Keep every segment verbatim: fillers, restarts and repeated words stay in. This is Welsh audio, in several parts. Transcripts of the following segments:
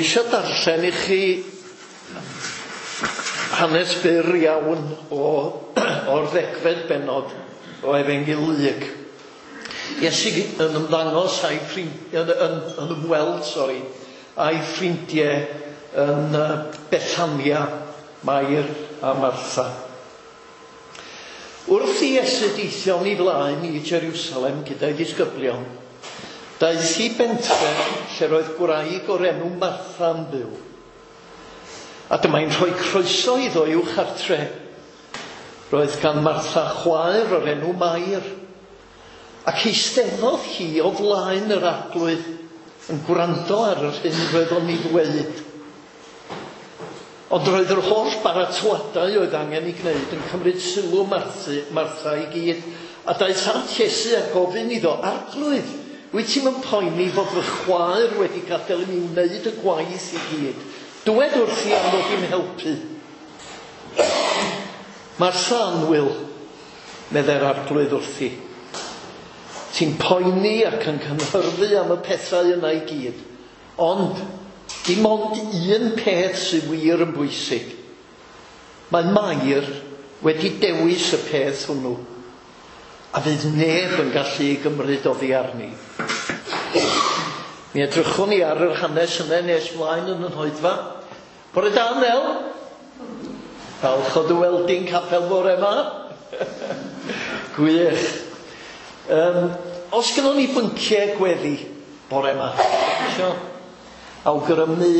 Dwi eisiau darllen i chi hanes byr iawn o, o'r ddegfed bennod o Efengyl Luc. Iesu yn ymddangos a'i ffrind, yn, yn, yn ymweld, sori, a'i ffrindiau yn Bethania, Mair a Martha. Wrth i Iesu deithio'n ei flaen i Jerusalem gyda'i ddisgyblion, daeth i bentre lle roedd gwraig o'r enw Martha yn byw. A dyma'n rhoi croeso iddo i'w chartre. Roedd gan Martha chwaer o'r enw Mair. Ac eisteddodd hi o flaen yr Arglwydd yn gwrando ar yr hyn roedd o'n ei ddweud. Ond roedd yr holl baratoadau oedd angen ei gwneud yn cymryd sylw Martha, Martha i gyd. A daeth at Iesu a gofyn iddo, Arglwydd, wyt ti'n yn poeni fod fy chwaer wedi gadael i mi wneud y gwaith i gyd? Dywed wrthi am ddod i'm helpu. Martha annwyl, meddai'r Arglwydd wrthi. Ti'n poeni ac yn cynhyrfu am y pethau yna i gyd. Ond dim ond un peth sydd wir yn bwysig. Mae Mair wedi dewis y peth hwnnw, a fydd neb yn gallu ei gymryd oddi arni. Mi edrychwn ni ar yr hanes yna nes mlaen yn yn hoedfa. Bore da, Nel. Falch o dy weld di'n capel bore yma. Gwych. Um, os gynnon ni bynciau gweddi bore yma, isio awgrymu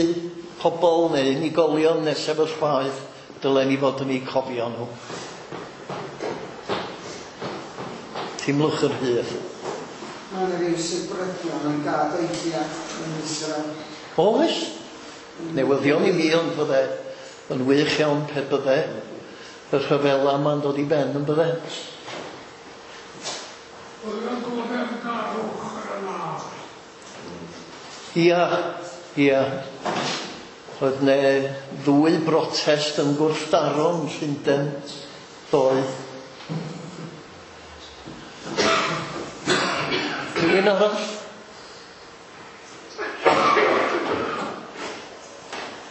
pobl neu unigolion neu sefyllfaoedd, dylen ni fod yn eu cofio nhw. Teimlwch yr hydd. Mae yna ryw sibrydion yn gadeithia yn Israel. Oes? Newyddion i mi, ond fydde yn wych iawn pe bydde y rhyfela yma'n dod i ben yn bydde. Oedd yn goddefgarwch yn y wlad. Ia, ia. Oedd ne ddwy brotest yn gwrthdaro yn Llundain ddoe. Rhywun arall?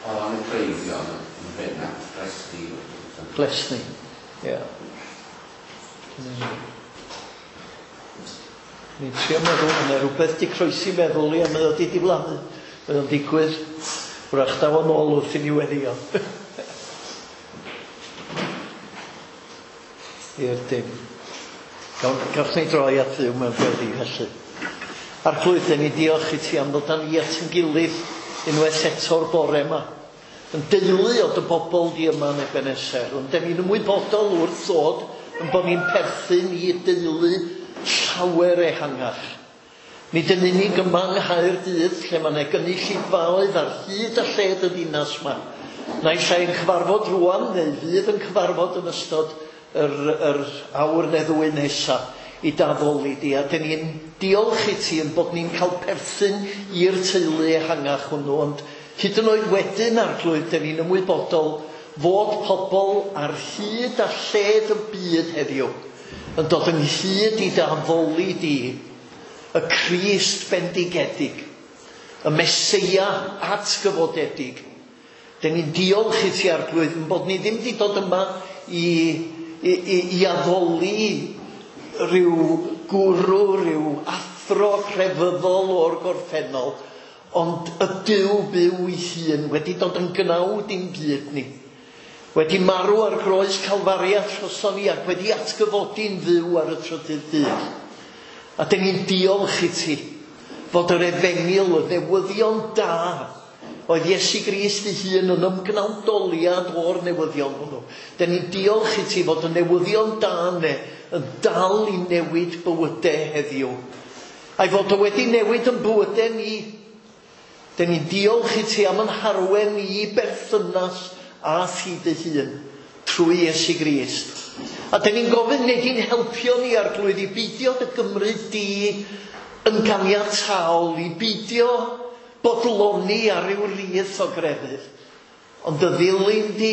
O ran y cleifion yn benna, Glesni. Glesni, ie. Ni'n trio meddwl, yna rhywbeth di croesi meddwl i a mae o di diflannu. Mae o'n digwydd, wrach daw o'n ôl wrth i ni weddio. I'r dim. Gawch ni droi at Dduw mewn gweddi felly. Arglwydd, dan ni diolch i ti am ddod â ni at ein gilydd unwaith eto'r bore yma. Yn deulu o dy bobl di yma yn Ebenezer, ond dan ni'n ymwybodol wrth ddod yn bod ni'n perthyn i deulu llawer ehangach. Nid yn unig yma yng Nghaerdydd, lle mae yna gynulleidfaoedd ar hyd a lled y ddinas yma. Naill ai yn cyfarfod rŵan, neu fydd yn cyfarfod yn ystod yr, yr awr neu ddwy nesa i d'addoli di. A dyn ni'n diolch i ti yn bod ni'n cael perthyn i'r teulu ehangach hwnnw, ond hyd yn oed wedyn, Arglwydd, dyn ni'n ymwybodol fod pobl ar hyd a lled y byd heddiw yn dod ynghyd i d'addoli di, y Crist bendigedig, y Meseia atgyfodedig. Dyn ni'n diolch i ti, Arglwydd, yn bod ni ddim wedi dod yma i, i, i, i addoli rhyw gwrw, rhyw athro crefyddol o'r gorffennol, ond y Duw byw ei hun wedi dod yn gnawd i'n byd ni, wedi marw ar groes Calfaria troson ni ac wedi atgyfodi'n fyw ar y trydydd dydd. A dyn ni'n diolch i ti fod yr efengyl, y newyddion da, oedd Iesu Grist ei hun yn ymgnawdoliad o'r newyddion hwnnw. Dyn ni'n diolch i ti fod y newyddion da yna yn dal i newid bywydau heddiw. A'i fod o wedi newid yn bywydau ni. Dyn ni'n diolch i ti am yn harwen i berthynas a thi dy hun trwy Iesu Grist. A dyn ni'n gofyn neu di'n helpio ni, Arglwydd, i beidio dy gymryd di yn ganiataol, i beidio bodloni ar ryw rith o grefydd, ond dy ddilyn di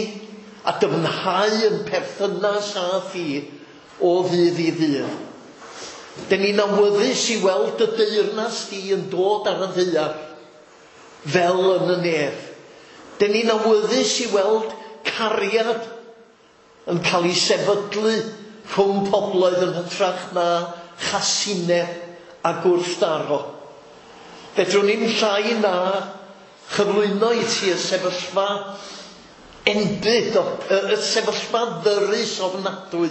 a dyfnhau yn perthynas â thi o ddydd i ddydd. Dyn ni'n awyddus i weld dy deyrnas di yn dod ar y ddaear. fel yn y nef. Dyn ni'n awyddus i weld cariad yn cael ei sefydlu rhwng pobloedd yn hytrach na chasineb a gwrthdaro. Fedrwn ni'n llai na chyflwyno i ti y sefyllfa enbyd, y sefyllfa ddyrus ofnadwy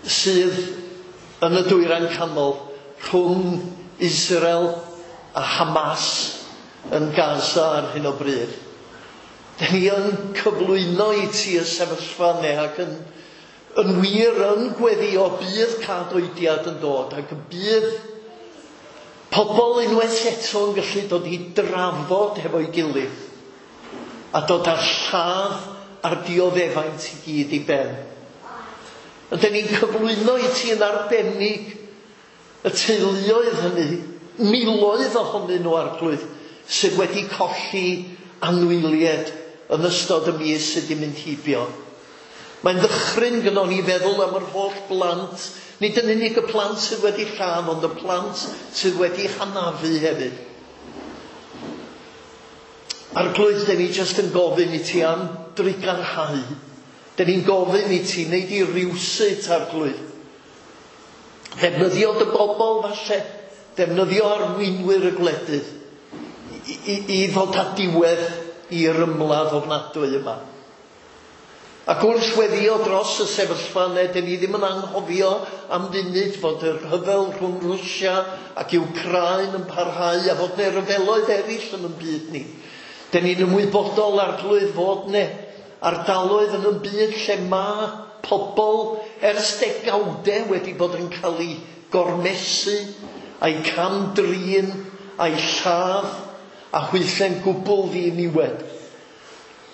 sydd yn y Dwyrain Canol rhwng Israel a Hamas yn Gaza ar hyn o bryd. Dyn ni yn cyflwyno i ti y sefyllfa yna ac yn, yn wir yn gweddio bydd cadoediad yn dod ac y bydd pobl unwaith eto yn gallu dod i drafod hefo'i gilydd a dod â'r lladd a'r dioddefaint i gyd i ben. A dyn ni'n cyflwyno i ti yn arbennig y teuluoedd hynny, miloedd ohonyn nhw, Arglwydd, sydd wedi colli anwyliaid yn ystod y mis sydd wedi mynd heibio. Mae'n ddychryn gynnon ni feddwl am yr holl blant, nid yn unig y plant sydd wedi lladd, ond y plant sydd wedi hanafu hefyd. Arglwydd, dyn ni jyst yn gofyn i ti am drugarhau. Dyn ni'n gofyn i ti wneud i rywsut, Arglwydd. Defnyddio dy bobl falle, defnyddio arweinwyr y gwledydd i, i, i ddod â diwedd i'r ymladd ofnadwy yma. Ac wrth weddio dros y sefyllfa yna, dyn ni ddim yn anghofio am funud fod y rhyfel rhwng Rwsia ac Wcráin yn parhau a fod 'na ryfeloedd eraill yn y byd ni. Dyn ni'n ymwybodol, Arglwydd, fod 'na ardaloedd yn y byd lle mae pobl ers degawdau wedi bod yn cael eu gormesu, a'i cam-drin, a'i lladd, a hwythau'n gwbl ddiniwed.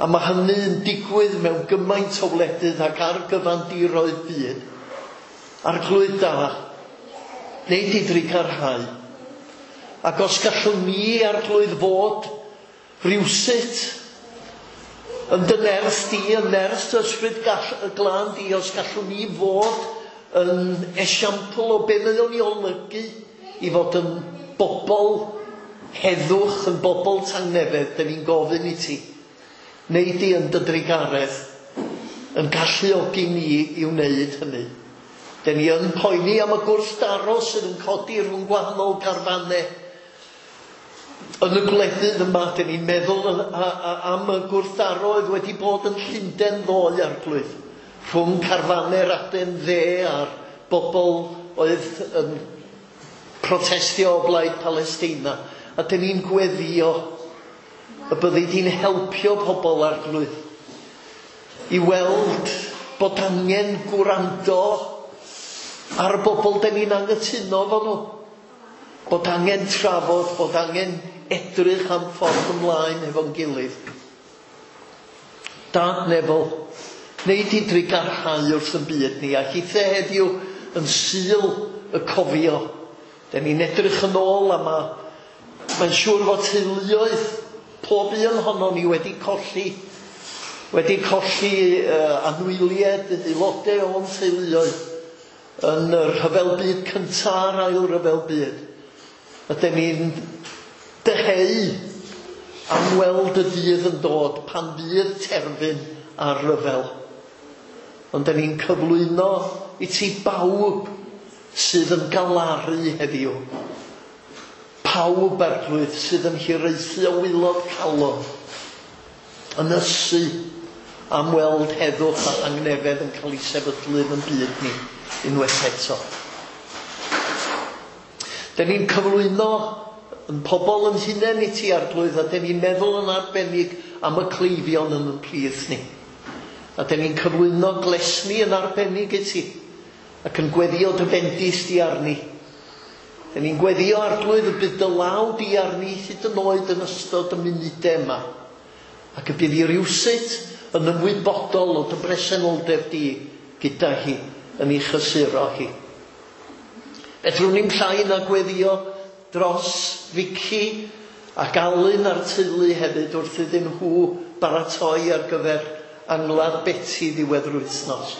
A mae hynny'n digwydd mewn gymaint o wledydd ac ar gyfandiroedd byd. Arglwydd da, wneud i drugarhau. Ac os gallwn ni, Arglwydd, fod rywsut yn dy nerth di, yn nerth dy ysbryd glân di, os gallwn ni fod yn esiampl o be mae o'n ei olygu i fod yn bobl heddwch, yn bobl tangnefedd, dyn ni'n gofyn i ti. Wneud di yn dy drugaredd yn galluogi ni i wneud hynny. Dyn ni yn poeni am y gwrthdaro sydd yn codi rhwng gwahanol garfannau. Yn y gwledydd yma, dyn ni'n meddwl am y gwrthdaro oedd wedi bod yn Llundain ddoe, Arglwydd, rhwng carfannau'r adain dde a'r bobl oedd yn protestio o blaid Palestina. A dyn ni'n gweddio y byddi di'n helpio pobl, Arglwydd, i weld bod angen gwrando ar y bobl dyn ni'n anghytuno efo nhw. Bod angen trafod, bod angen edrych am ffordd ymlaen efo'n gilydd. Dad nefol, wneud i drugarhau wrth yn byd ni, a hithe heddiw yn Sul y Cofio. Dyn ni'n edrych yn ôl a ma, mae'n siŵr fod teuluoedd pob un ohonon ni wedi colli, wedi colli uh, anwyliaid, aelodau o'n teuluoedd yn y rhyfel byd cyntaf a'r ail rhyfel byd. A dyn ni'n dyheu am weld y dydd yn dod pan fydd terfyn ar ryfel. Ond dyn ni'n cyflwyno i ti bawb sydd yn galaru heddiw. Pawb, Arglwydd, sydd yn hiraethu o waelod calon, yn ysu am weld heddwch a thangnefedd yn cael ei sefydlu yn byd ni unwaith eto. Dyn ni'n cyflwyno yn pobl yn hunain i ti, Arglwydd, a dyn ni'n meddwl yn arbennig am y cleifion yn yn plith ni. A dyn ni'n cyflwyno Glesni yn arbennig i ti, ac yn gweddio dy fendith di arni. Dyn ni'n gweddio, Arglwydd, y bydd dy law di arni hyd yn oed yn ystod y munudau yma. Ac y bydd hi rywsut yn ymwybodol o dy bresenoldeb di gyda hi yn ei chysuro hi. Fedrwn ni'm llai na gweddio dros Vicky ac Alun a'r teulu hefyd wrth iddyn nhw baratoi ar gyfer angladd Betty ddiwedd yr wythnos.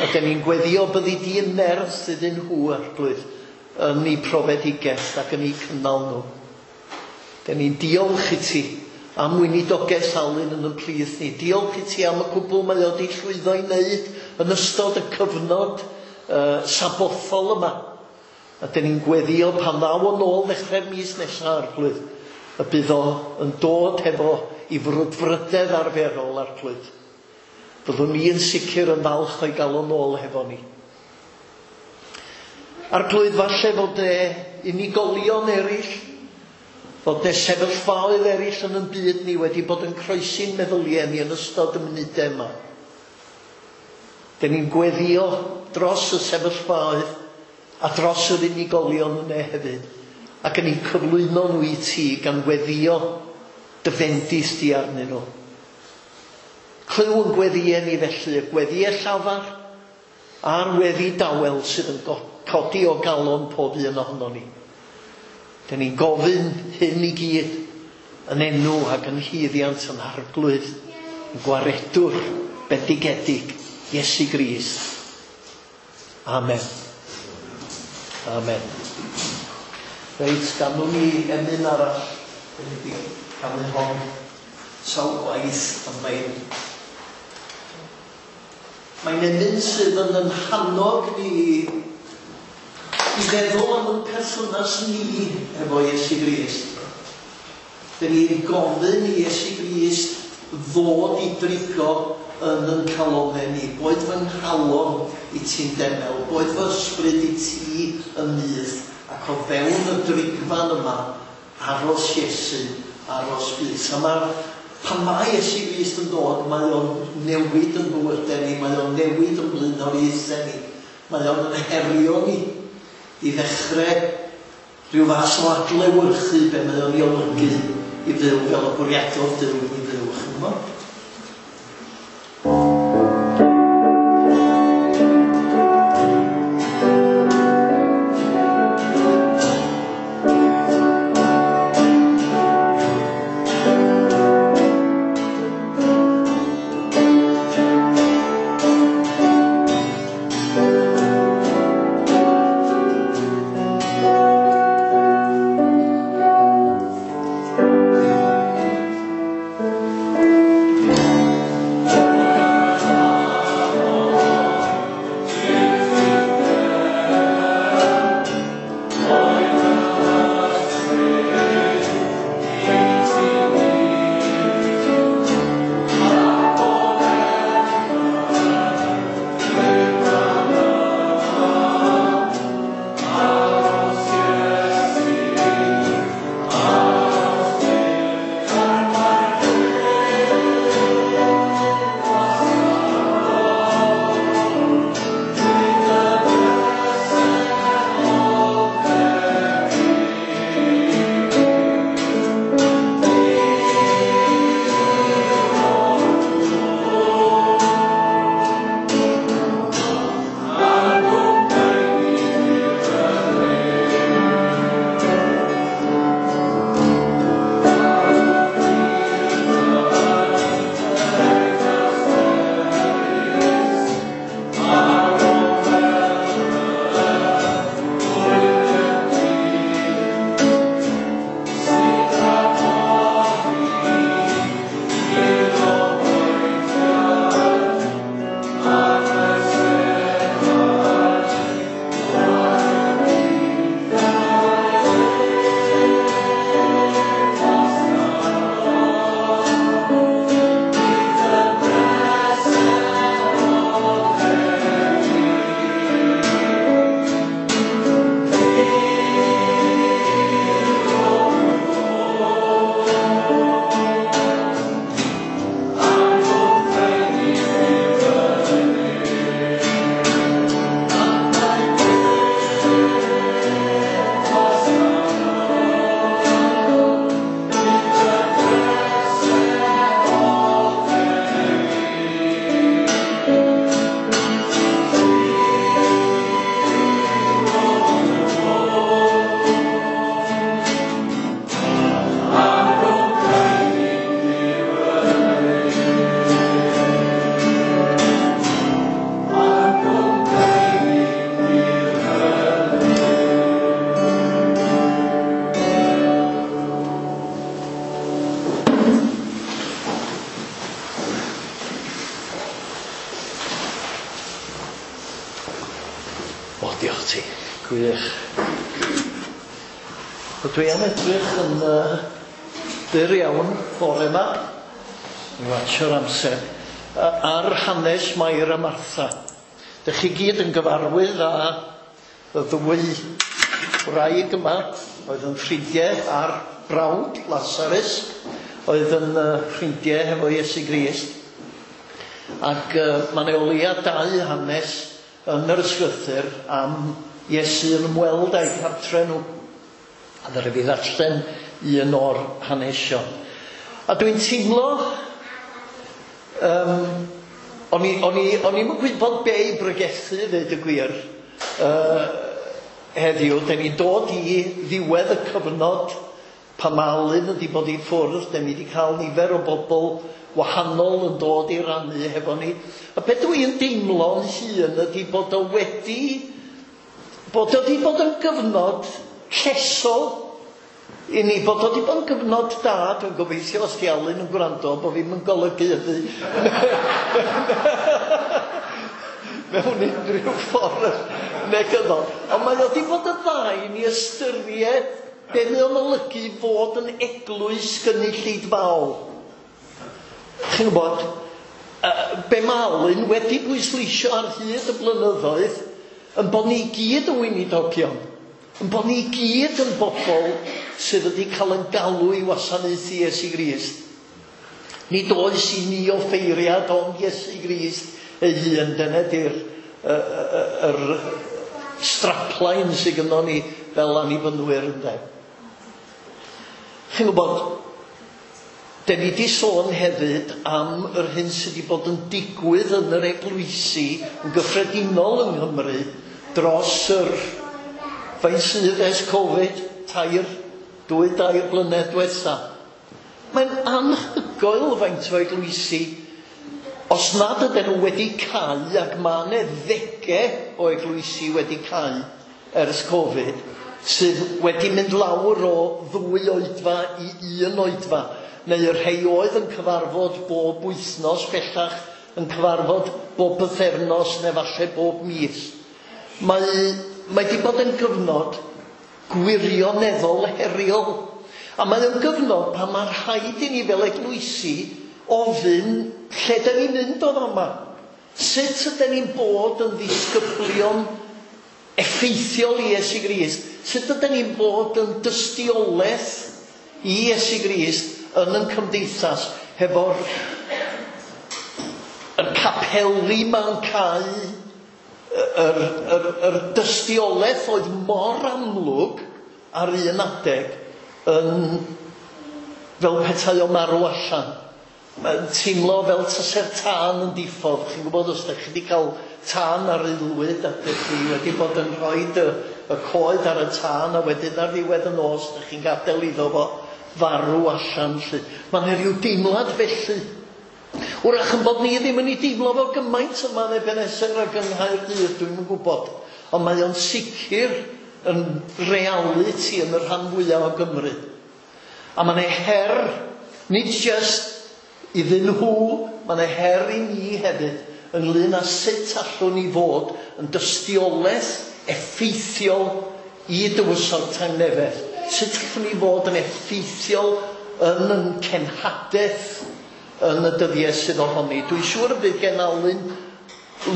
A dyn ni'n gweddio byddi di yn nerth iddyn nhw, Arglwydd, yn eu profedigaeth ac yn eu cynnal nhw. Den ni'n diolch i ti am weinidogaeth Alun yn y plith ni. Diolch i ti am y cwbl mae o wedi llwyddo i wneud yn ystod y cyfnod uh, sabothol yma. A den ni'n gweddio pan ddaw o'n ôl ddechrau'r mis nesaf, Arglwydd, y bydd o yn dod hefo i frwdfrydedd arferol, Arglwydd. Byddwn ni yn sicr yn falch o'i gael o'n ôl hefo ni. Arglwydd, falle fod e unigolion eraill, fod e sefyllfaoedd eraill yn yn byd ni wedi bod yn croesi'n meddyliau ni yn ystod y munudau yma. Den ni'n gweddio dros y sefyllfaoedd a dros yr unigolion yna hefyd, ac yn ni'n cyflwyno nhw i ti gan weddio dy fendith di arnyn nhw. Clyw yn gweddiau ni felly, y gweddiau llafar a'r weddi dawel sydd yn codi o galon pob un ohono ni. Dyn ni'n gofyn hyn i gyd yn enw ac yn hyddiant yn Arglwydd, yn gwaredwr bendigedig, Iesu Grist. Amen. Amen. Reit, ganwn ni emyn arall. Dyn ni wedi canu hon sawl gwaith, ond mae'n mae'n emyn sydd yn yn hannog ni i feddwl am yn perthynas ni efo Iesu Grist. Dyn ni'n gofyn i Iesu Grist ddod i drigo yn yn calonau ni. Boed fy nghalon i ti'n demel, boed fy ysbryd i ti yn nyth, ac o fewn y drigfan yma, aros Iesu, aros byth. A mae'r, pan mae Iesu Grist yn dod, mae o'n newid yn bywydau ni, mae o'n newid yn blaenoriaethau ni, mae o'n yn herio ni i ddechrau rhyw fath o adlewyrchu be mae o'n ei olygu i fyw fel y bwriadodd Duw i ni fyw, chi'n gwybod? Thank Diolch ti. Gwych. Wel, dwi am edrych yn uh, byr iawn bore yma. Dwi'n watsio'r amser. Uh, ar hanes Mair a Martha. Dych chi gyd yn gyfarwydd â y ddwy wraig yma, oedd yn ffrindiau a'r brawd Lazarus, oedd yn uh, ffrindiau hefo Iesu Grist. Ac uh, mae 'na o leia dau hanes yn yr ysgrythur am Iesu yn ymweld â'u cartre nhw. A ddaru fi ddarllen un o'r hanesion. A dwi'n teimlo, um, o'n i, o'n i, o'n i'm yn gwybod be i bregethu, ddeud y gwir, uh, heddiw. Den ni'n dod i ddiwedd y cyfnod pan mae Alun wedi bod i ffwrdd. Den ni wedi cael nifer o bobl wahanol yn dod i rannu hefo ni. A beth dwi'n deimlo'n hun ydy bod o wedi, bod o wedi bod yn gyfnod llesol i ni, bod o wedi bod yn gyfnod da. Dwi'n gobeithio os di Alun yn gwrando bod fi'm yn golygu hynny mewn unrhyw ffordd negyddol. Ond mae o wedi bod yn dda i ni ystyried be mae o'n olygu fod yn eglwys gynulleidfaol. Chi'n gwybod, uh, be mae Alun wedi bwysleisio ar hyd y blynyddoedd yn bod ni gyd yn weinidogion, yn bod ni gyd yn bobl sydd wedi cael yn galw i wasanaethu Iesu Grist. Nid oes i ni offeiriad ond Iesu Grist ei hun. Dyna di'r yr strapline sydd gynnon ni fel annibynwyr, ynde. Chi'n gwybod, den ni wedi sôn hefyd am yr hyn sydd wedi bod yn digwydd yn yr eglwysi yn gyffredinol yng Nghymru dros yr faint sydd ers Covid, tair, dwy, dair blynedd diwetha. Mae'n anhygoel faint o eglwysi, os nad ydyn nhw wedi cau, ac mae yna ddegau o eglwysi wedi cau ers Covid, sydd wedi mynd lawr o ddwy oedfa i un oedfa, neu y rhai oedd yn cyfarfod bob wythnos bellach yn cyfarfod bob pythefnos neu falle bob mis. Mae, mae wedi bod yn gyfnod gwirioneddol heriol. A mae o'n gyfnod pan mae rhaid i ni fel eglwysi ofyn lle dyn ni'n mynd o fama. Sut ydyn ni'n bod yn ddisgyblion effeithiol i Iesu Grist? Sut ydyn ni'n bod yn dystiolaeth i Iesu Grist yn yn cymdeithas hefo'r yr capeli ma'n cau, yr, yr, yr dystiolaeth oedd mor amlwg ar un adeg yn fel petai o marw allan. Mae'n teimlo fel tase'r tân yn diffodd. Chi'n gwybod, os ydych chi wedi cael tân ar aelwyd a ydych chi wedi bod yn rhoi y, y coed ar y tân a wedyn ar ddiwedd y nos ydych chi'n gadael iddo fo farw allan. Mae'n rhyw deimlad felly. Wrach yn bod ni ddim yn ei deimlo fel gymaint yma yn Ebenezer ac yng Nghaerdydd, dwi'm yn gwybod. Ond mae o'n sicr yn realiti yn y rhan fwyaf o Gymru. A mae'n ei her, nid jyst iddyn nhw, mae'n ei her i ni hefyd ynglyn â sut allwn ni fod yn dystiolaeth effeithiol i dywysog Tangnefedd. Sut allwn ni fod yn effeithiol yn yn cenhadaeth yn y dyddiau sydd ohoni. Dwi'n siŵr y bydd gen Alun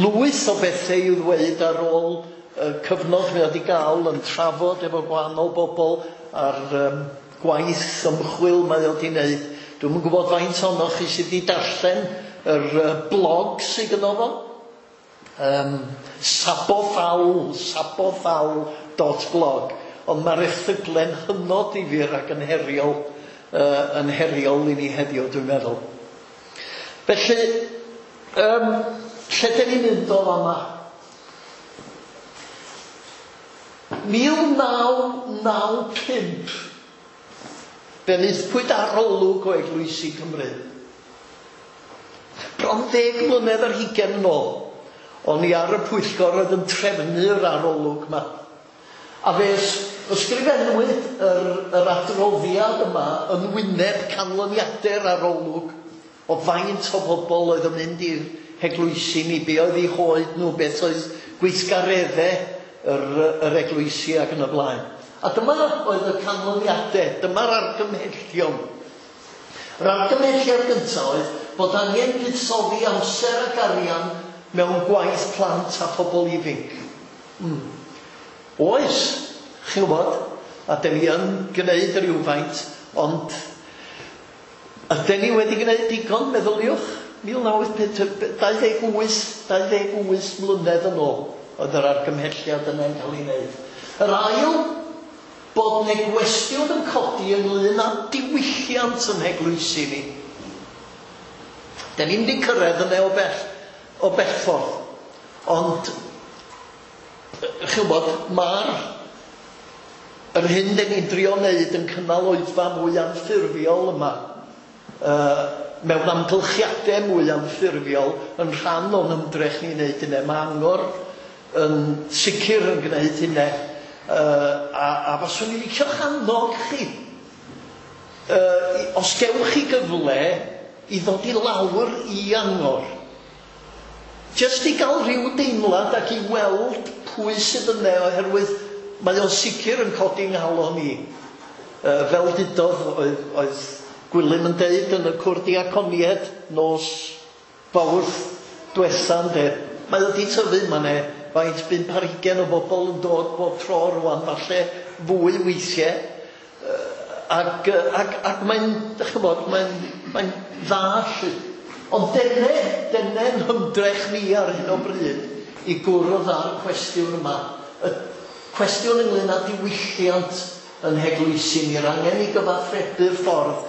lwyth o bethau i'w ddweud ar ôl uh, cyfnod mae wedi gael yn trafod efo gwahanol bobl ar um, gwaith ymchwil mae o wedi wneud. Dwi'm yn gwybod faint ohonoch chi sydd wedi darllen yr uh, blog sydd gynno fo. Um, sabofawl, sabofawl dot blog. Ond mae'r erthygle'n hynod ddifyr ac yn heriol, uh, yn heriol i ni heddiw, dwi'n meddwl. Felly, um, lle dyn ni'n mynd o fama? mil naw naw pump, fe wnaethpwyd arolwg o eglwysi Cymru. Bron ddeg mlynedd ar hugain yn ôl, o'n i ar y pwyllgor oedd yn trefnu'r arolwg yma. A fe ysgrifennwyd yr, yr adroddiad yma yn wyneb canlyniadau'r arolwg o faint o bobl oedd yn mynd i'r heglwysi ni, be oedd eu hoed nhw, beth oedd gweithgareddau yr, yr eglwysi ac yn y blaen. A dyma oedd y canlyniadau, dyma'r argymhellion. Yr argymhelliad gyntaf oedd bod angen buddsoddi amser ac arian mewn gwaith plant a phobl ifanc. Mm. Oes, chi'n gwybod, a dyn ni yn gwneud rhywfaint, ond ydyn ni wedi gwneud digon, meddyliwch, mil naw dau ddeg wyth, dau ddeg wyth mlynedd yn ôl oedd yr argymhelliad yna'n cael ei wneud. Yr ail, bod 'na gwestiwn yn codi ynglyn â diwylliant yn heglwysi ni. Dyn ni'm wedi cyrraedd yna o bell, o bell ffordd. Ond, chi'n gwybod, mae'r yr hyn dyn ni'n drio wneud yn cynnal oedfa mwy anffurfiol yma, uh, mewn amgylchiadau mwy anffurfiol, yn rhan o'n ymdrech ni'n wneud hynny. Mae Angor yn sicr yn gwneud hynny. Uh, a, a faswn i'n licio'ch annog chi, uh, os gewch chi gyfle i ddod i lawr i Angor, jyst i gael rhyw deimlad ac i weld pwy sydd yna, oherwydd mae o'n sicr yn codi nghalon i. Uh, fel dudodd oedd, oedd Gwilym yn deud yn y cwrdd diaconiaid nos Fawrth dwetha, ynde. Mae o wedi tyfu, mae 'ne faint bump ar hugain o bobl yn dod bob tro rwan, falle fwy weithiau. Ac, ac, ac mae'n, dych chi'n gwybod, mae'n, mae'n dda lly. Ond dyne, dyne'n hymdrech ni ar hyn o bryd i gwrdd â'r cwestiwn yma. Y cwestiwn ynglyn â diwylliant yn heglwysi ni'r angen i gyfathrebu'r ffordd,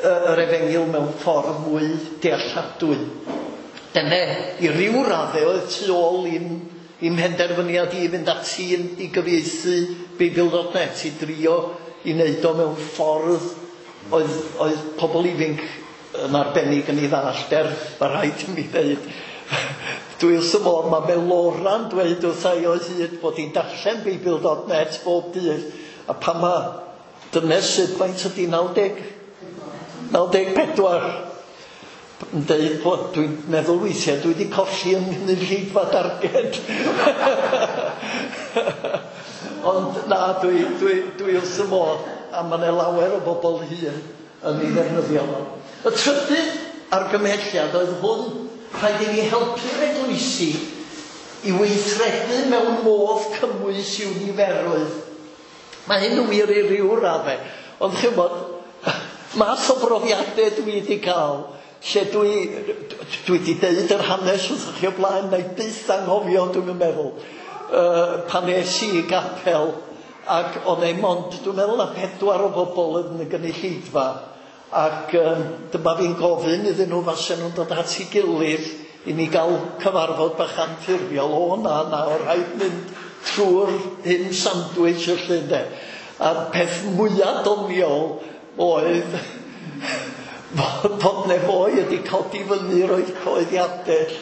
yr efengyl mewn ffordd mwy dealladwy. Dyne, i ryw raddau oedd tu ôl i'm, i'm mhenderfyniad i fynd ati i gyfieithu Beibl dot net, i drio i wneud o mewn ffordd oedd, oedd pobl ifanc yn arbennig yn ei ddallt, er mae rhaid i mi ddeud. Dwi wrth y modd, mae Melora'n dweud wrtha i o hyd bod hi'n darllen Beibl dot net bob dydd, a pan mae dynes sydd faint ydi naw deg, naw deg pedwar yn deud bod dwi'n meddwl weithiau dwi wedi colli yng nghynulleidfa darged. Ond na, dwi, dwi, dwi wrth y modd, a mae yna lawer o bobl hŷn yn ei ddefnyddio fo. Y trydydd argymhelliad oedd hwn, rhaid i ni helpu'r eglwysi i weithredu mewn modd cymwys i'w niferoedd. Mae hyn yn wir i ryw raddau, ond chi'n gwybod, math o brofiadau dwi wedi cael, lle dwi, dwi wedi deud yr hanes wrthych chi o blaen, na i byth anghofio, dwi'n meddwl, uh, pan es i i gapel, ac o'n ei mond, dwi'n meddwl, a pedwar o bobl yn y gynulleidfa, ac um, dyma fi'n gofyn iddyn nhw fasen nhw'n dod at ei gilydd i ni gael cyfarfod bach anffurfiol. O na, na, o rhaid mynd trwy'r hyn sandwich y lle, de. A'r peth mwyaf doniol oedd bod ne foi wedi codi fyny roedd coeddiadau.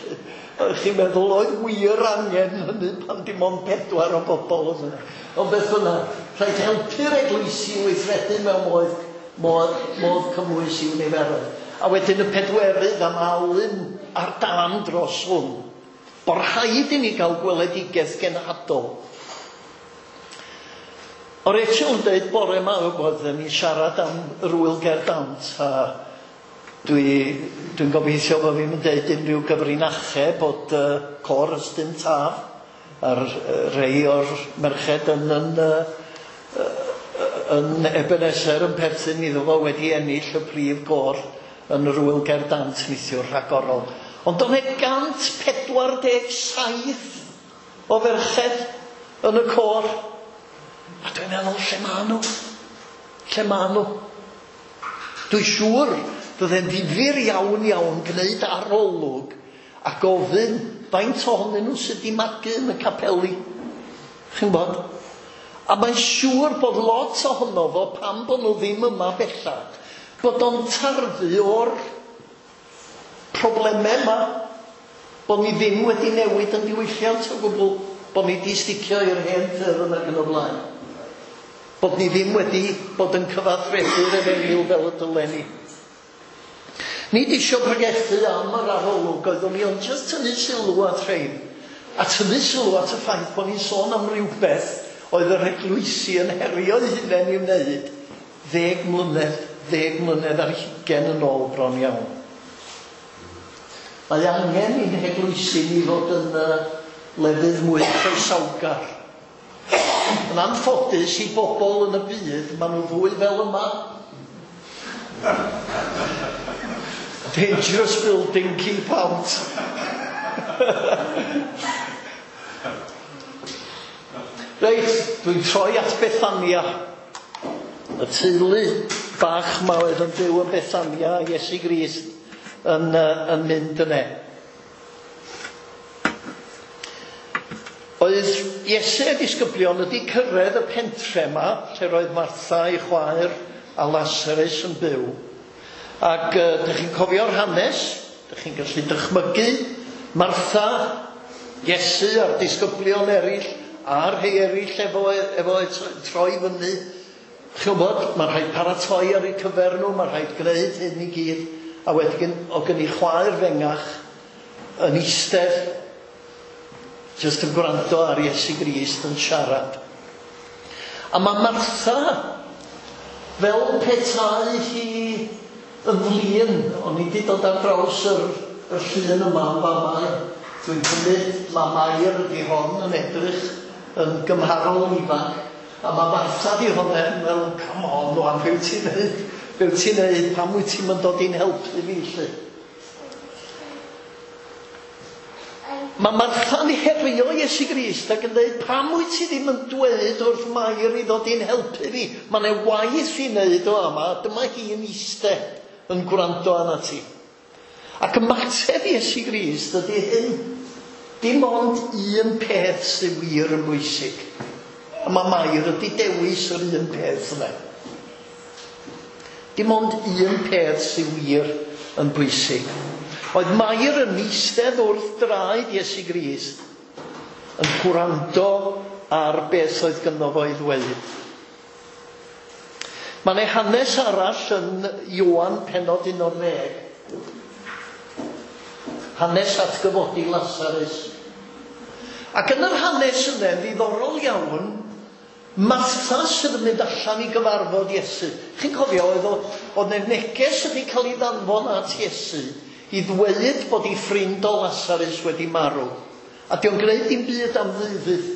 Chi'n meddwl oedd wir angen hynny pan dim ond pedwar o bobl oedd yna. Ond beth bynnag, rhaid helpu'r eglwysi i weithredu mewn modd, modd, modd cymwys i'w niferoedd. A wedyn y pedwerydd am Alun ar dan dros hwn, bod rhaid i ni gael gweledigaeth genhadol. O Rachel yn dweud bore yma, bod ni'n siarad am yr Ŵyl Gerdd Dant, a dwi'n dwi gobeithio bod fi'n dweud unrhyw gyfrinachau bod uh, cor Ystyn Taf a'r uh, rhai o'r merched yn, yn, uh, yn Ebenezer yn perthyn iddo fo wedi ennill y prif gôr yn yr Ŵyl Gerdd Dant neithiwr rhagorol. Ond o'n e gant pedwar deg saith o ferched yn y côr. A dwi'n meddwl, lle ma nhw? Lle ma nhw? Dwi'n siŵr fydde'n ddifyr iawn iawn gwneud arolwg a gofyn faint ohonyn nhw sydd wedi magu yn y capeli. Chi'n gwybod? A mae'n siŵr bod lot ohono fo, pam bod nhw ddim yma bellach, bod o'n tarfu o'r problemau yma, bod ni ddim wedi newid yn diwylliant o gwbl, bod ni wedi sticio i'r hen ffyrdd ac yn y blaen. Bod ni ddim wedi bod yn cyfathrebu'r efengyl fel y dylen ni. Nid isio pregethu am yr arolwg oeddwn i, ond jyst tynnu sylw at rhain. A tynnu sylw at y ffaith bod ni'n sôn am rywbeth oedd yr eglwysi yn herio eu hunain i'w wneud ddeg mlynedd, ddeg mlynedd ar hugain yn ôl bron iawn. Mae angen i'n heglwysi ni fod yn uh, lefydd mwy croesawgar. Yn anffodus i bobl yn y byd, maen nhw fwy fel yma. Dangerous building, keep out. Reit, dwi'n troi at Bethania. Y teulu bach ma oedd yn byw yn Bethania, Iesu Grist yn, uh, yn mynd yna. Oedd Iesu a disgyblion wedi cyrraedd y pentre yma, lle roedd Martha ei chwaer a Lazarus yn byw. Ac uh, dych chi'n cofio'r hanes, dych chi'n gallu dychmygu Martha, Iesu a'r disgyblion eraill, a'r rhai eraill efo, efo troi fyny. Chi'n gwybod, mae'n rhaid paratoi ar eu cyfer nhw, mae'n rhaid gwneud hyn i gyd. A wedyn, o gen i chwaer fengach yn eistedd, jyst yn gwrando ar Iesu Grist yn siarad. A mae Martha, fel petai hi yn flin, o'n i wedi dod ar draws yr, yr llun yma yn fama. Dwi'n cymryd, mae Mair ydi hon yn edrych yn gymharol ifanc. A mae Martha di hwnna yn fel, come on, rwan, be wyt ti'n neud? Be wyt ti'n neud? Pam wyt ti'n mynd dod i'n helpu fi, lly? Mae Martha'n herio Iesu Grist ac yn dweud, pam wyt ti ddim yn dweud wrth Mair i ddod i'n helpu fi? Mae yna waith i wneud o yma, dyma hi'n eistedd yn gwrando arna ti. Ac ymateb Iesu Grist ydy hyn. Dim ond un peth sydd wir yn bwysig. A mae Mair ydy dewis yr un peth yna. Dim ond un peth sydd wir yn bwysig. Oedd Mair yn eistedd wrth draed Iesu Grist yn gwrando ar beth oedd gynno fo i ddweud. Mae yna hanes arall yn Ioan pennod un o'r ddeg. Hanes atgyfodi Lazarus. Ac yn yr hanes yna, ddiddorol iawn, Martha sydd yn mynd allan i gyfarfod Iesu. Chi'n cofio, oedd oedd yna neges wedi cael ei ddanfon at Iesu i ddweud bod ei ffrind o Lazarus wedi marw. A di o'n gwneud dim byd am ddeuddydd.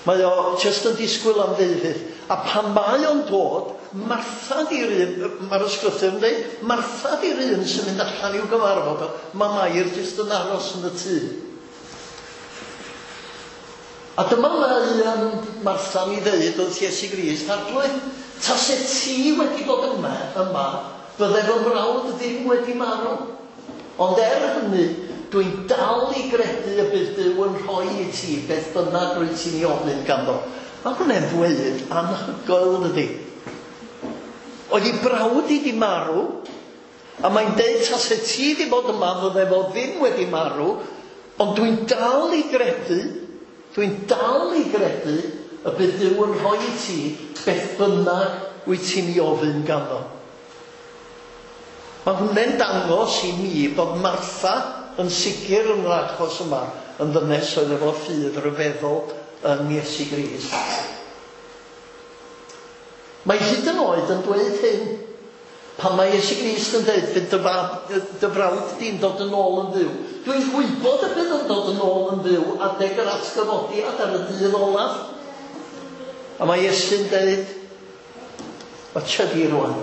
Mae o jyst yn disgwyl am ddeuddydd. A pan mae o'n dod, Martha di'r un, mae'r ysgrythur yn dweud, Martha di'r un sy'n mynd allan i'w gyfarfod o. Mae Mair jyst yn aros yn y tŷ. A dyma mae um, Martha'n ei ddeud wrth Iesu Grist, Arglwydd, tase ti wedi bod yma, yma, fydde fy mrawd ddim wedi marw. Ond er hynny, dwi'n dal i gredu y bydd Duw yn rhoi i ti beth bynnag rwyt ti'n ei ofyn ganddo. Mae hwnna'n ddweud anhygoel, dydy. Oedd ei brawd i di marw, a mae'n deud tase ti wedi bod yma, fydde fo ddim wedi marw, ond dwi'n dal i gredu, dwi'n dal i gredu y bydd Duw yn rhoi i ti beth bynnag wyt ti'n ei ofyn ganddo. Mae hwnna'n dangos i mi bod Martha yn sicr yn yr achos yma yn ddynes oedd efo ffydd ryfeddol yn Iesu Grist. Mae hyd yn oed yn dweud hyn. Pan mae Iesu Grist yn dweud fydd dy, fab, dy frawd di'n dod yn ôl yn fyw. Dwi'n gwybod y bydd yn dod yn ôl yn fyw adeg yr atgyfodiad ar y dydd olaf. A mae Iesu'n dweud, watcha di rwan.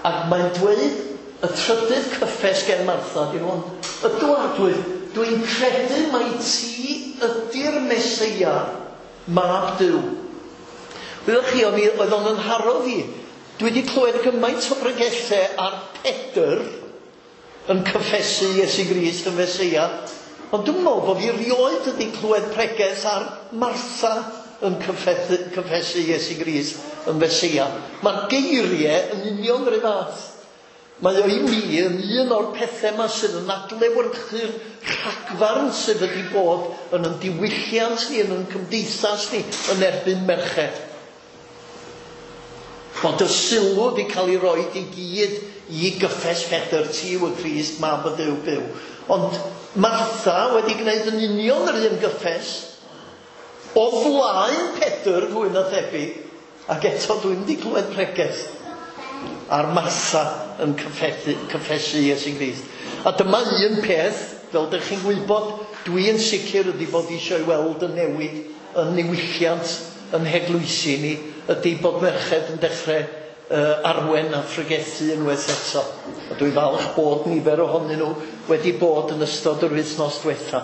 Ac mae'n dweud y trydydd cyffes gen Martha, di hwn, ydw Arglwydd, dwi'n credu mai ti ydy'r Meseia, mab Duw. Wyddoch chi, oedd o'n yn haro fi. Dwi wedi clywed gymaint o bregethau ar Pedr yn cyffesu Iesu Grist yn Meseia, ond dwi'n meddwl bod fi rioed wedi clywed pregeth ar Martha yn cyffesu, cyffesu Iesu Grist yn Meseia. Mae'r geiriau yn union yr un fath. Mae o i mi yn un o'r pethau yma sydd yn adlewyrchu'r rhagfarn sydd wedi bod yn ein diwylliant ni, yn ein cymdeithas ni, yn erbyn merched. Bod y sylw wedi cael ei roed i gyd i gyffes Pedr, ti yw y Crist, mab y Duw byw. Ond Martha wedi gwneud yn union yr un gyffes o flaen Pedr, fwy na thebyg, ac eto dwi'n wedi clywed pregeth ar Martha yn cyffethu, cyffesu Iesu Grist. A dyma un peth, fel dych chi'n gwybod, dwi yn sicr ydy bod eisiau weld y newid yn niwylliant yn heglwysi ni, ydy bod merched yn dechrau uh, arwen a phregethu unwaith eto. A dwi'n falch bod nifer ohonyn nhw wedi bod yn ystod yr wythnos diwetha,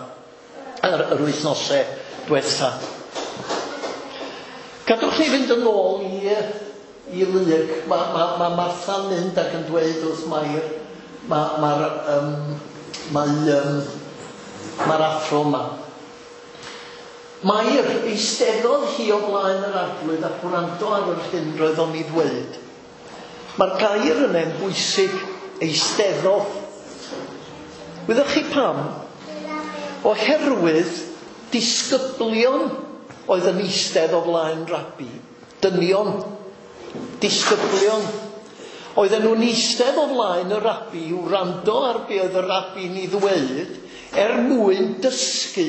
yr, yr wythnosau diwetha. Gadwch ni fynd yn ôl i, i Luc. Mae ma, ma Martha'n mynd ac yn dweud wrth Mair, mae'r ma, um, mae, um, mae'r athro yma. Mair eisteddodd hi o blaen yr Arglwydd a gwrando ar yr hyn roedd o'n ei ddweud. Mae'r gair yna'n bwysig, eisteddodd. Wyddoch chi pam? Oherwydd disgyblion oedd yn eistedd o flaen rabi. Dynion, disgyblion. Oedden nhw'n eistedd o flaen y rabi i wrando ar be oedd y rabi'n ei ddweud er mwyn dysgu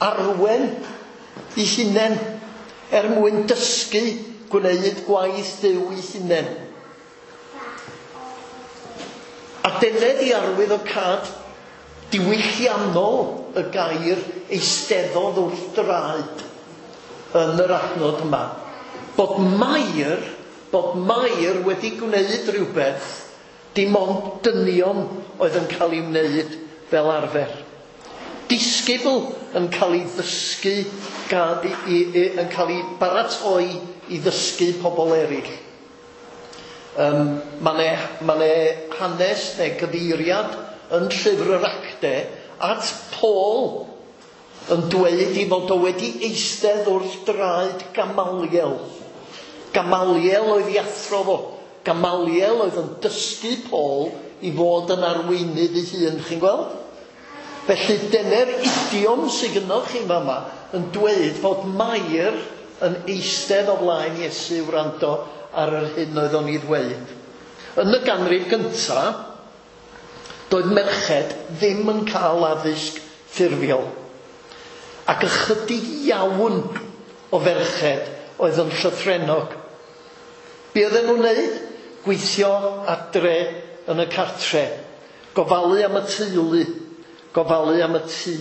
arwen i hunain, er mwyn dysgu gwneud gwaith Duw i hunain. A dyna di arwydd o cad diwylliannol y gair eisteddodd wrth draed yn yr adnod yma. Bod Mair, bod Mair wedi gwneud rhywbeth dim ond dynion oedd yn cael ei wneud fel arfer. Disgybl yn cael ei ddysgu, gan, i, i, i, yn cael ei baratoi i ddysgu pobl eraill. Um, mae 'ne, ma' 'ne hanes neu gyfeiriad yn llyfr yr Acte at Paul yn dweud i fod o wedi eistedd wrth draed Gamaliel. Gamaliel oedd ei athro fo. Gamaliel oedd yn dysgu Paul i fod yn arweinydd ei hun, chi'n gweld? Felly dyna'r idiom sydd gynnoch chi fama yn dweud fod Mair yn eistedd o flaen Iesu wrando ar yr hyn oedd o'n ei ddweud. Yn y ganrif gyntaf, doedd merched ddim yn cael addysg ffurfiol. Ac ychydig iawn o ferched oedd yn llythrennog. Be oedden nhw'n wneud? Gweithio adre yn y cartre, gofalu am y teulu, gofalu am y tŷ.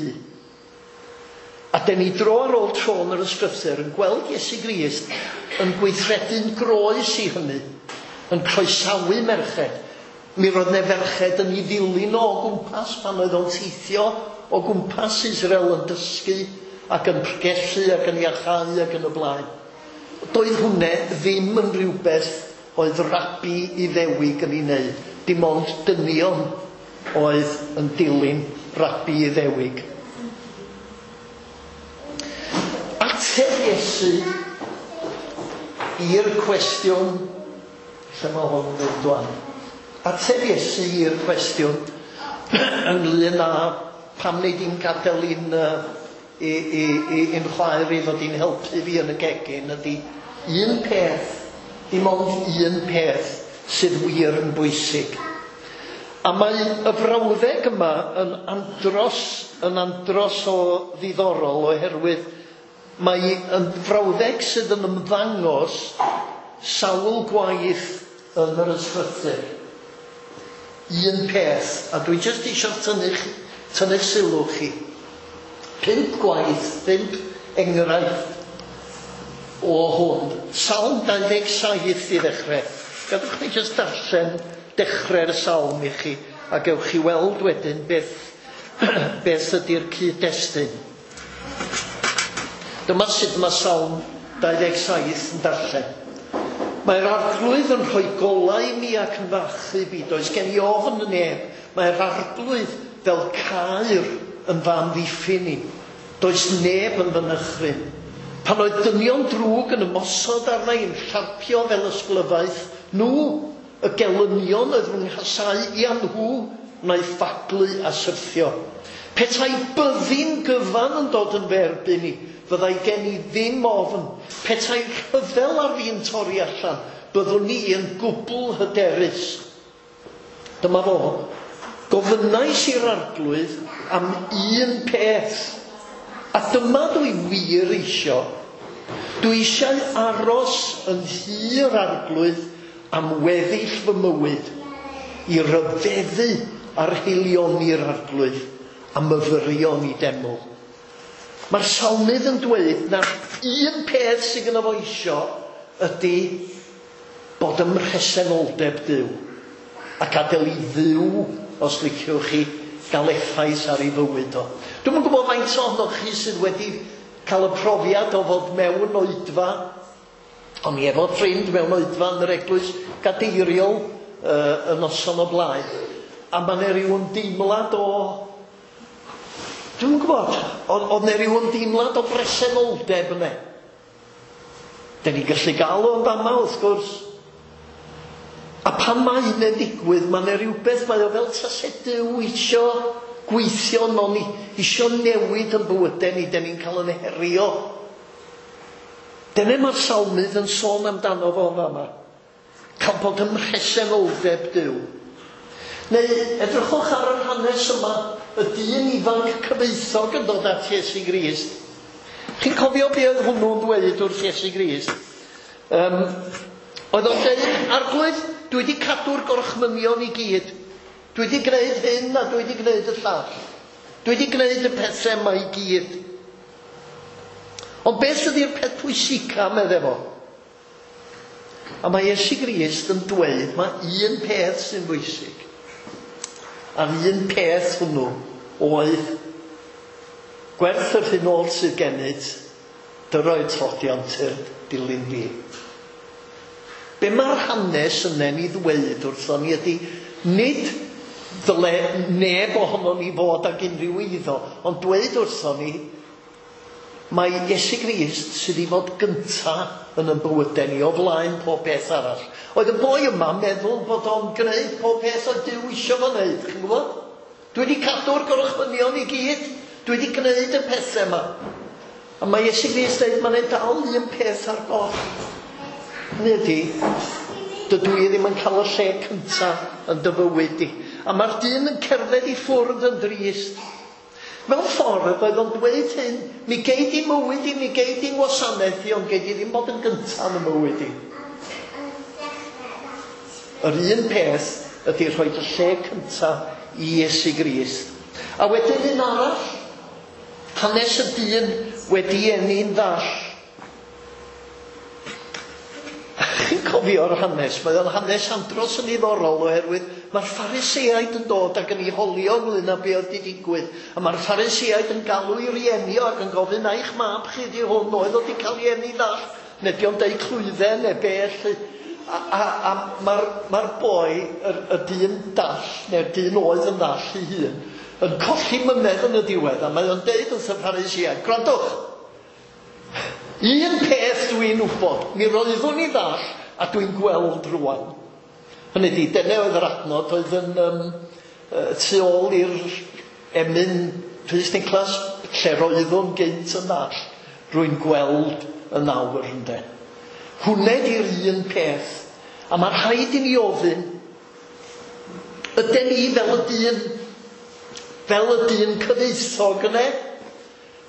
A den ni dro ar ôl tro yn yr ysgrythur yn gweld Iesu Grist yn gweithredu'n groes i hynny, yn croesawu merched. Mi roedd 'ne ferched yn ei ddilyn o gwmpas pan oedd o'n teithio o gwmpas Israel yn dysgu ac yn pregethu ac yn iachau ac yn y blaen. Doedd hwnne ddim yn rhywbeth oedd rabi Iddewig yn ei wneud. Dim ond dynion oedd yn dilyn rabi Iddewig. Ateb Iesu i'r cwestiwn, lle mae hwn yn mynd wan? Ateb Iesu i'r cwestiwn ynglyn â pam wnei di'n gadael i'n uh, i, i, i, i'n chwaer i ddod i'n helpu fi yn y gegin ydy un peth, dim ond un peth sydd wir yn bwysig. A mae y frawddeg yma yn andros, yn andros o ddiddorol oherwydd mae yn frawddeg sydd yn ymddangos sawl gwaith yn yr ysgrythur. Un peth, a dwi jyst eisiau tynnu'ch tynnu'ch sylw chi. Pump gwaith, pump enghraifft o hwn. Salm dau ddeg saith i ddechrau. Gadwch chi jyst darllen dechrau'r salm i chi, a gewch chi weld wedyn beth, beth ydy'r cyd-destun. Dyma sut mae Salm dau ddeg saith yn darllen. Mae'r Arglwydd yn rhoi golau i mi ac yn fy achub i. Does gen i ofn y neb. Mae'r Arglwydd fel caer yn fy amddiffyn i. Does neb yn fy nychryn. Pan oedd dynion drwg yn ymosod arna i, yn llarpio fel ysglyfaeth, nhw, y gelynion oedd fy nghasau i a nhw, wnaeth faglu a syrthio. Petai byddin gyfan yn dod yn fy erbyn i, fyddai gen i ddim ofn. Petai rhyfel ar fi'n torri allan, byddwn ni yn gwbl hyderus. Dyma fo. Gofynnais i'r Arglwydd am un peth, a dyma dwi wir isio. Dwi eisiau aros yn nhŷ'r Arglwydd am weddill fy mywyd, i ryfeddu ar haelioni'r Arglwydd a myfyrio yn ei deml. Mae'r salmydd yn dweud na un peth sydd gyda fo isio ydy bod ym mhresenoldeb Duw ac adael i Dduw, os liciwch chi, gael effaith ar ei fywyd o. Dwi'm yn gwybod faint ohonoch chi sydd wedi cael y profiad o fod mewn oedfa. O'n i efo ffrind mewn oedfa yn yr eglwys gadeiriol uh, y noson o blaen. A mae 'na ryw ymdeimlad o... Dwi'm yn gwybod, oedd 'na ryw ymdeimlad o bresenoldeb yna. Den ni gallu gael o'n fama, wrth gwrs. A pan mae hynny'n digwydd, mae 'na rhywbeth, mae o fel tase Duw isio gweithio yno ni, isio newid yn bywydau ni, den ni'n cael yn herio. Dyna mae'r salmydd yn sôn amdano fo fama. Cael bod ym mhresenoldeb Duw. Neu edrychwch ar yr hanes yma, y dyn ifanc cyfoethog yn dod at Iesu Grist. Chi'n cofio be oedd hwnnw'n dweud wrth Iesu Grist? Um, oedd o'n dweud, Arglwydd, dwi wedi cadw'r gorchmynion i gyd. Dwi wedi gwneud hyn a dwi wedi gwneud y llall. Dwi wedi gwneud y pethau yma i gyd. Ond beth ydy'r peth pwysica, medde fo? A mae Iesu Grist yn dweud mae un peth sy'n bwysig. A'r un peth hwnnw oedd gwerth yr hyn oll sydd gennyt, dyro i'r tlodion tyrd dilyn fi. Be mae'r hanes yna'n ei ddweud wrthon ni ydy, nid dyle neb ohonon ni fod ag unrhyw eiddo, ond dweud wrthon ni, mae Iesu Grist sydd i fod gynta yn ein bywydau ni o flaen pob peth arall. Oedd y boi yma meddwl bod o'n gwneud pob peth oedd Duw isio fo wneud, chi'n gwybod? Dwi wedi cadw'r gorchmynion i gyd, dwi wedi gwneud y pethau yma. A mae Iesu Grist dweud, mae'n dal un peth ar goll. Hynny ydy, dydw i ddim yn cael y lle cynta yn dy fywyd di. A mae'r dyn yn cerdded i ffwrdd yn drist. Mewn ffordd, oedd o'n dweud hyn, mi gei di mywyd i, mi gei di ngwasanaeth i, ond gei di ddim bod yn gyntaf yn y mywyd i. Yr un peth ydy rhoi y lle cyntaf i Iesu Grist. A wedyn un arall, hanes y dyn wedi eni'n ddall. Chi'n cofio'r hanes, mae o'n hanes andros yn ddiddorol oherwydd mae'r Phariseaid yn dod ac yn ei holio ynglyn â be oedd wedi digwydd. A mae'r Phariseaid yn galw i rieni o ac yn gofyn, na i'ch mab chi di hwn, oedd o wedi cael ei eni ddall, neu di o'n deud clwydden neu be lly. A, a, a mae'r mae boi, y, y dyn dall, neu'r dyn oedd yn ddall ei hun, yn colli mynedd yn y diwedd, a mae o'n deud wrth y Phariseaid, gwrandwch, un peth dwi'n wybod, mi roeddwn i ddall a dwi'n gweld rwan. Hynny ydi, dyna oedd yr adnod oedd yn um, tu ôl i'r emyn Rhys Niclas, lle roeddwn gynt yn ddall, rwy'n gweld yn awr ynde. Hwnna di'r un peth, a mae rhaid i ni ofyn, ydyn ni fel y dyn, fel y dyn cyfoethog yna?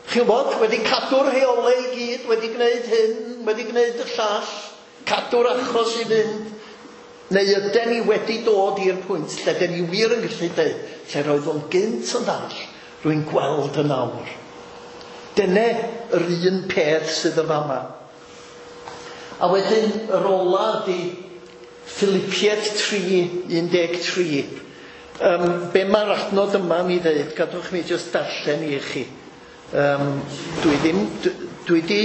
Chi'n gwybod, wedi cadw'r rheolau i gyd, wedi gwneud hyn, wedi gwneud y llall, cadw'r achos i fynd, neu ydyn ni wedi dod i'r pwynt lle dyn ni wir yn gallu dweud, lle roedd o'n gynt yn ddall, rwy'n gweld yn awr. Dyna yr un peth sydd yn fama. A wedyn yr ola ydy Philippiaid tri un deg tri. Um, be mae'r adnod yma yn ei ddeud, gadwch mi jyst darllen i chi. Um, dwi ddim, dwi, dwi di,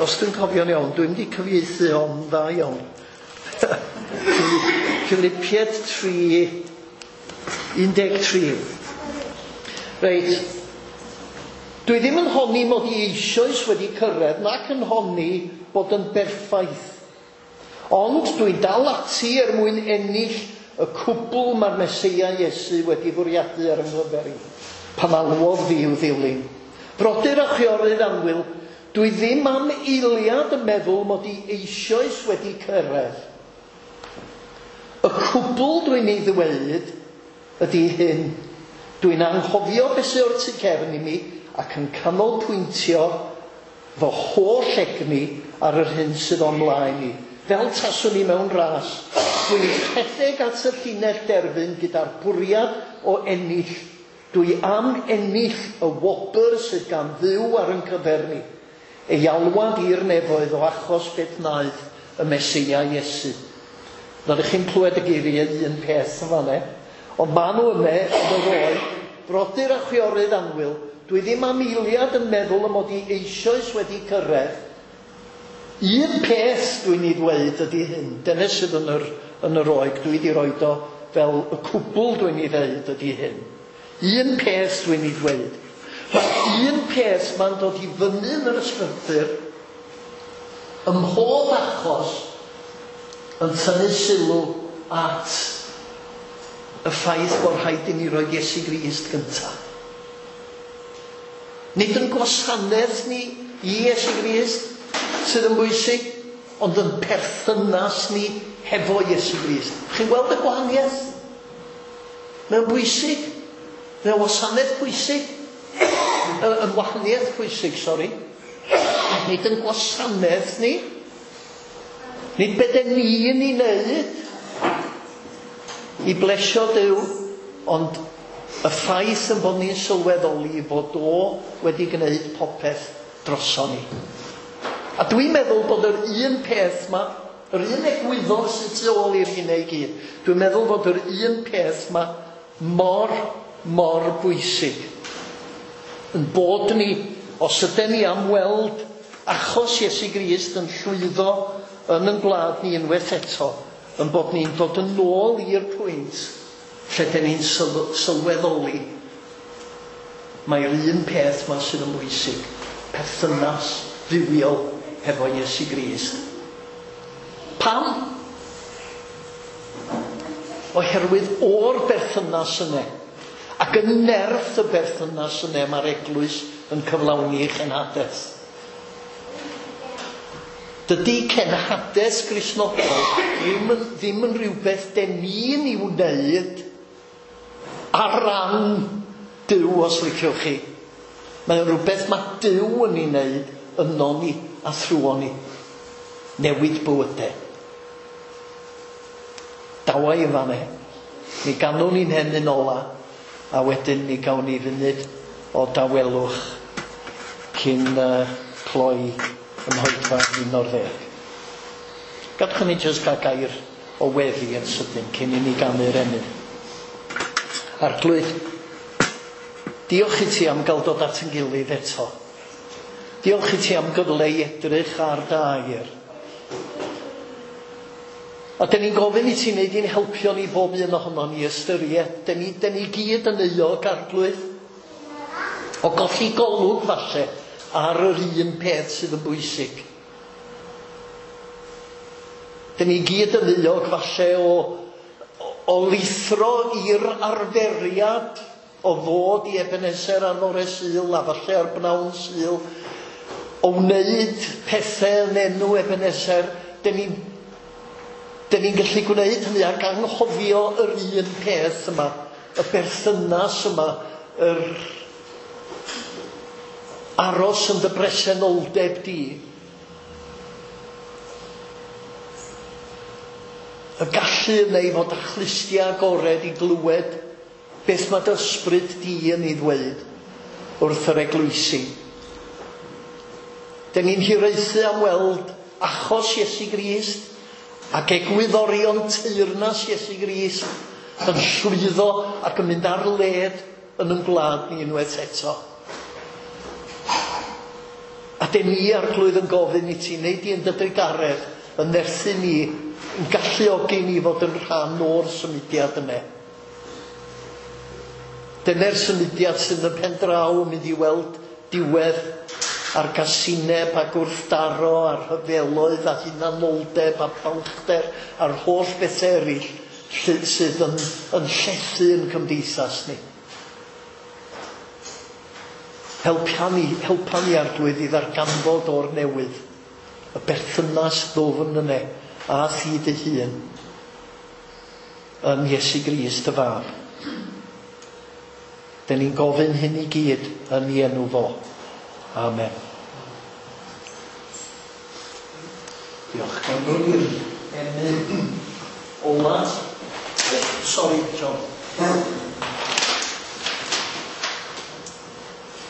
os dwi'n cofio'n iawn, dwi'n di cyfieithu o'n dda iawn. Philippiaid tri un deg tri. Reit, dwi ddim yn honni mod i eisoes wedi cyrraedd, nac yn honni bod yn berffaith. Ond dwi'n dal ati er mwyn ennill y cwbl mae'r Meseia Iesu wedi fwriadu ar yng nghyfer i, pan alwodd fi i'w ddilyn. Brodyr a chwiorydd annwyl, dwi ddim am eiliad yn meddwl mod i eisoes wedi cyrraedd. Y cwbl dwi'n ei ddweud ydy hyn. Dwi'n anghofio beth sydd o'r tu cefn i mi ac yn canolbwyntio fy holl egni ar yr hyn sydd o'n mlaen i. Fel taswn i mewn ras, dwi'n rhedeg at y llinell derfyn gyda'r bwriad o ennill. Dwi am ennill y wobr sydd gan Dduw ar yn cyfer ni. Ei alwad i'r nefoedd o achos beth wnaeth y Meseia Iesu. Nad ydych chi'n clywed y geiriau un peth yn fan'na, ond maen nhw yna yn yr oed, brodyr a chwiorydd annwyl, dwi ddim am eiliad yn meddwl y mod i eisoes wedi cyrraedd. Un peth dwi'n ei ddweud ydy hyn, dyna sydd yn yr, yn yr oeg, dwi wedi roed o fel y cwbl dwi'n ei ddeud ydy hyn. Un peth dwi'n ei ddweud. Mae un peth mae'n dod i fyny yn yr ysgrythur ym mhob achos yn tynnu sylw at y ffaith bod rhaid i ni roi Iesu Grist gyntaf. Nid yn gwasanaeth ni i Iesu Grist sydd yn bwysig, ond yn perthynas ni hefo Iesu Grist. Chi'n gweld y gwahaniaeth? Mae'n bwysig. Mae'n wasanaeth pwysig. Yn wahaniaeth pwysig, sori. Nid yn gwasanaeth ni. Nid beth ni yn ei wneud i blesio Duw, ond y ffaith yn bod ni'n sylweddoli fod o wedi gwneud popeth droson ni. A dwi'n meddwl bod yr un peth ma, yr un egwyddor sydd tu ôl i'r hynna i gyd, dwi'n meddwl bod yr un peth ma mor, mor bwysig. Yn bod ni, os ydyn ni am weld achos Iesu Grist yn llwyddo yn ein gwlad ni unwaith eto, yn bod ni'n dod yn ôl i'r pwynt lle dyn ni'n sylweddoli mae'r un peth ma sydd yn bwysig, perthynas dduwiol hefo Iesu Grist. Pam? Oherwydd o'r berthynas yna, ac yn nerth y berthynas yna mae'r eglwys yn cyflawni ei chenhadaeth. Dydy cenhadaeth Gristnogol ddim yn, ddim yn rhywbeth den ni'n ei wneud ar ran Duw, os liciwch chi. Mae'n rhywbeth mae Duw yn ei wneud yno ni a thrwon ni. Newid bywydau. Dawa i fan e. Mi ganwn ni'n hemyn ola, a wedyn mi gawn ni funud o dawelwch cyn uh, cloi yn hoedfa un o'r ddeg. Gadwch ni jyst gael gair o weddi yn sydyn cyn i ni ganu'r emyn. Arglwydd, diolch i ti am gael dod at yn gilydd eto. Diolch i ti am gyfle i edrych ar dy air. A dyn ni'n gofyn i ti wneud i'n helpio ni bob un ohono ni ystyried. Dyn ni, dyn ni gyd yn euog, Arglwydd, o golli golwg falle ar yr un peth sydd yn bwysig. Dyn ni gyd yn euog falle o, o lithro i'r arferiad o ddod i Ebenezer ar fore Sul a falle ar bnawn Sul, o wneud pethau yn enw Ebenezer. Dyn ni'n Dyn ni'n gallu gwneud hynny ac anghofio yr un peth yma, y berthynas yma, yr aros yn dy bresenoldeb di. Y gallu yna i fod â chlustiau agored i glywed beth mae dy ysbryd di yn ei ddweud wrth yr eglwysi. Dyn ni'n hiraethu am weld achos Iesu Grist ac egwyddorion teyrnas Iesu Grist yn llwyddo ac yn mynd ar led yn ein gwlad ni unwaith eto. A dyn ni, Arglwydd, yn gofyn i ti wneud i yn dy drugaredd, yn nerthu ni, yn galluogi ni fod yn rhan o'r symudiad yna. Dyna'r symudiad sydd yn pen draw yn mynd i weld diwedd a'r gasineb a gwrthdaro a'r rhyfeloedd a hunanoldeb a balchder a'r holl bethau eraill sydd yn, yn llethu yn cymdeithas ni. Helpa ni, helpa ni, Arglwydd, i ddarganfod o'r newydd y berthynas ddwfn yna a thi dy hun yn Iesu Grist y Fab. Den ni'n gofyn hyn i gyd yn ei enw fo. Amen. Diolch. Gan ddod i'r emyn ola. Sorry, John.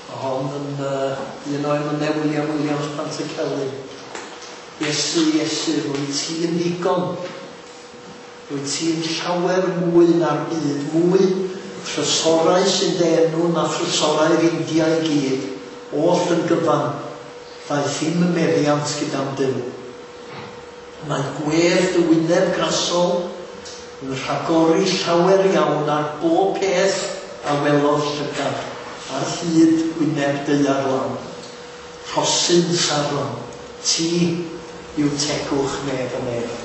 Mae hon yn uh, un o emynau William Williams Pantycelyn. Iesu, Iesu, rwyt ti'n ddigon. Rwyt ti'n llawer mwy na'r byd, mwy thrysorau sy'n dy enw na thrysorau'r India i gyd, oll yn gyfan, ddaeth i'm y meddiant gyda'n Duw. Mae gwedd dy wyneb grasol yn rhagori llawer iawn ar bob peth a welodd llygad, ar hyd wyneb daear lawn. Rhosyn Saron, ti yw tegwch nef y nef.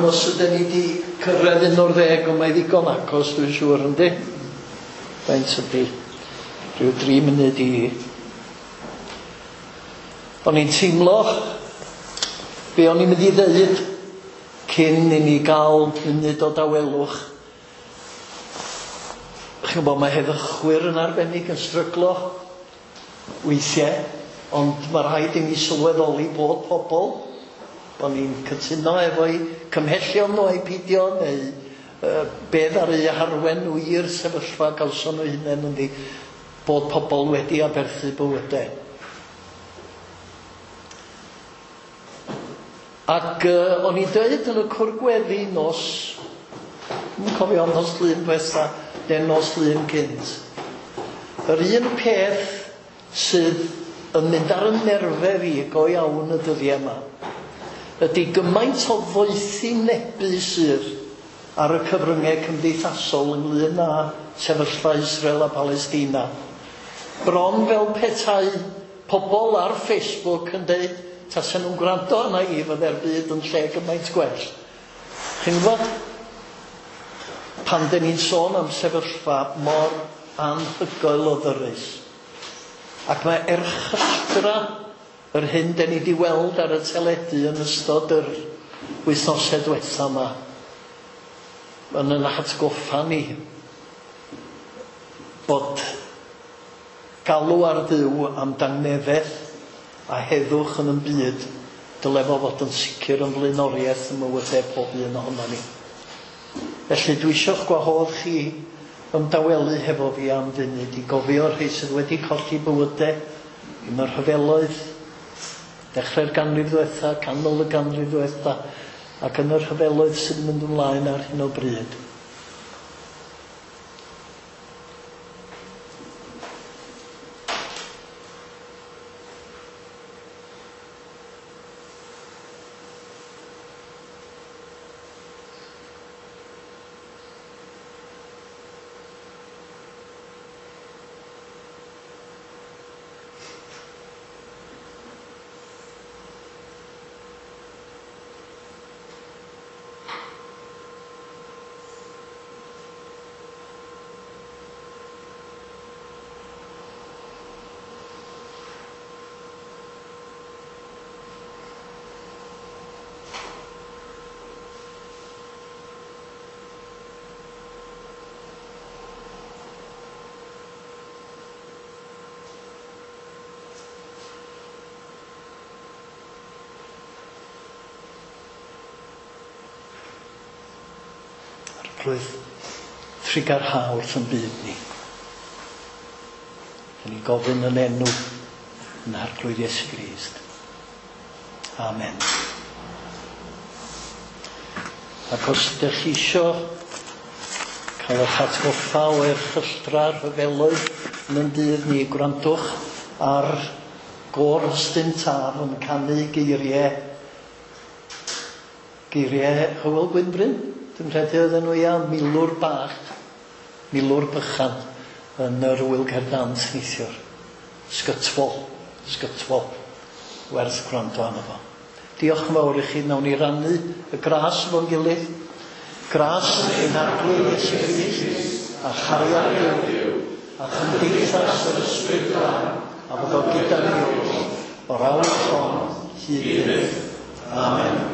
Os ydyn ni wedi cyrraedd un o'r ddeg, ond mae ddigon agos, dwi'n siŵr, yndi? Faint ydi? Rhyw dri munud i. O'n i'n teimlo be o'n i'n mynd i ddeud cyn i ni gael munud o dawelwch. Chi'n gwybod, mae heddychwyr yn arbennig yn stryglo weithiau, ond mae rhaid i ni sylweddoli bod pobl, bod ni'n cytuno efo'i cymhellion nhw a'i peidio, neu uh, beth ar eu harwen nhw i'r sefyllfa gawson nhw hunain yndi, bod pobl wedi aberthu bywydau. Ac uh, o'n i'n dweud yn y cwr gweddi nos, yn cofio nos Lun diwetha, neu nos Lun cynt, yr un peth sydd yn mynd ar y nerfau fi go iawn y dyddiau yma, ydy gymaint o ddoethinebu sydd ar y cyfryngau cymdeithasol ynglyn â sefyllfa Israel a Palestina. Bron fel petai pobl ar Facebook yn dweud, tasen nhw'n gwrando arna i, fydde'r byd yn lle gymaint gwell. Chi'n gwybod, pan dyn ni'n sôn am sefyllfa mor anhygoel o ddyrus, ac mae erchylltra yr hyn dyn ni wedi weld ar y teledu yn ystod yr wythnosau diwetha yma, yn yn atgoffa ni bod galw ar Dduw am dangnefedd a heddwch yn y byd, dyle fo fod yn sicr yn flaenoriaeth ym mywydau pob un ohono ni. Felly dwi eisiau'ch gwahodd chi ymdawelu hefo fi am funud i gofio'r rhai sydd wedi colli bywydau yn yr rhyfeloedd, Dechrau'r ganrif ddiwetha, canol y ganrif ddiwetha, ac yn y rhyfeloedd sydd yn mynd ymlaen ar hyn o bryd. Arglwydd, trugarha wrth yn byd ni. Dan ni'n gofyn yn enw yn Arglwydd Iesu Grist. Amen. Ac os ydych chi isio cael eich atgoffa o erchylltra rhyfeloedd yn ein dydd ni, gwrandwch ar Gôr Ystyn Taf yn canu geiriau geiriau Hywel Gwynfryn. Dwi'n credu oedden nhw ia, milwr bach, milwr bychan yn yr Ŵyl Cerdd Dant neithiwr. Sgytwol, sgytwol, werth gwrando arno fo. Diolch yn fawr i chi, nawn ni rannu y gras efo'n gilydd. Gras ein Arglwydd Iesu Grist, a chariad Duw, a chymdeithas yr Ysbryd Glân, a fod o gyda ni oll, o'r awr hon hyd byth. Amen.